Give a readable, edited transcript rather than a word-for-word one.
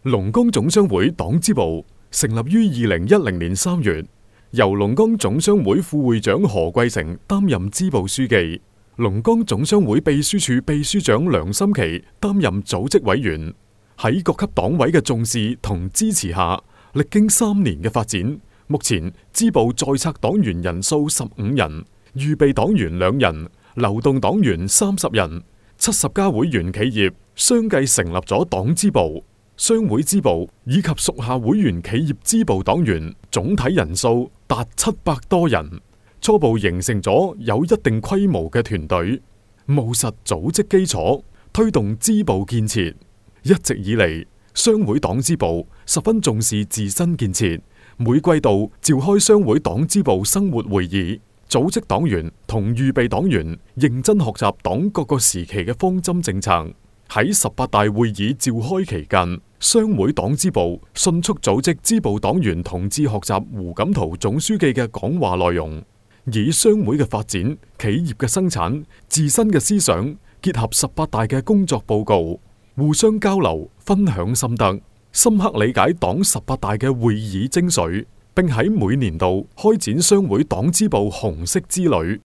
龍崗總商會黨支部成立於2010年3月，由龍崗總商會副會長何貴成擔任支部書記，龍崗總商會秘書處秘書長梁心琪擔任組織委員。喺各級黨委嘅重視同支持下，歷經3年嘅發展，目前支部在冊黨員人數15人，預備黨員2人，流動黨員30人，70家會員企業相繼成立咗黨支部、商會支部以及屬下會員企業支部黨員，總體人數達700多人，初步形成咗有一定規模嘅團隊，務實組織基礎，推動支部建設。一直以嚟，商會黨支部十分重視自身建設，每季度召開商會黨支部生活會議，組織黨員同預備黨員認真學習黨各個時期嘅方針政策。喺18大會議召開期間，商會黨支部迅速組織支部黨員同志學習胡錦濤總書記嘅講話內容，以商會嘅發展、企業嘅生產、自身嘅思想結合18大嘅工作報告，互相交流，分享心得，深刻理解黨18大嘅會議精髓，並喺每年度開展商會黨支部紅色之旅。